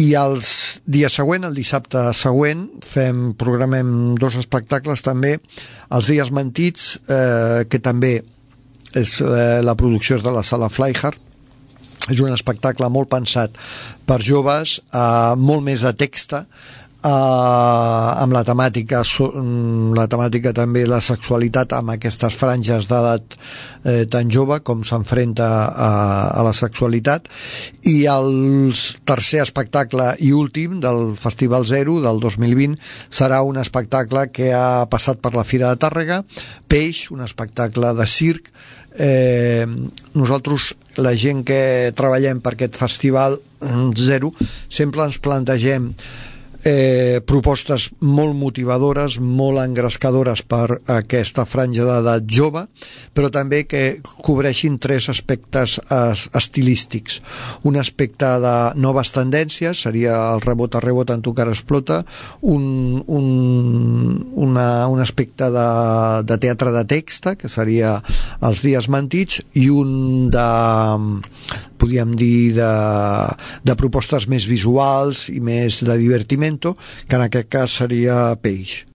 I els dies següents, el dissabte següent, programem 2 espectacles també, els dies mentits, que també és la producció és de la sala Flyhard. És un espectacle molt pensat per joves, molt més de texta, amb la temàtica també la sexualitat, amb aquestes franges d'edat tan jove com s'enfrenta a la sexualitat. I el tercer espectacle i últim del Festival Zero del 2020 serà un espectacle que ha passat per la Fira de Tàrrega, Peix, un espectacle de circ. Nosaltres, la gent que treballem per aquest Festival Zero, sempre ens plantegem propostes molt motivadores, molt engrescadores per aquesta franja d'edat jove, però també que cobreixin 3 aspectes estilístics. Un aspecte de noves tendències, seria el rebot a rebot en tu cara explota, un aspecte de teatre de texta, que seria els dies mentits, i un podríem dir de propostes més visuals i més de divertimento, que en aquest cas seria Peix.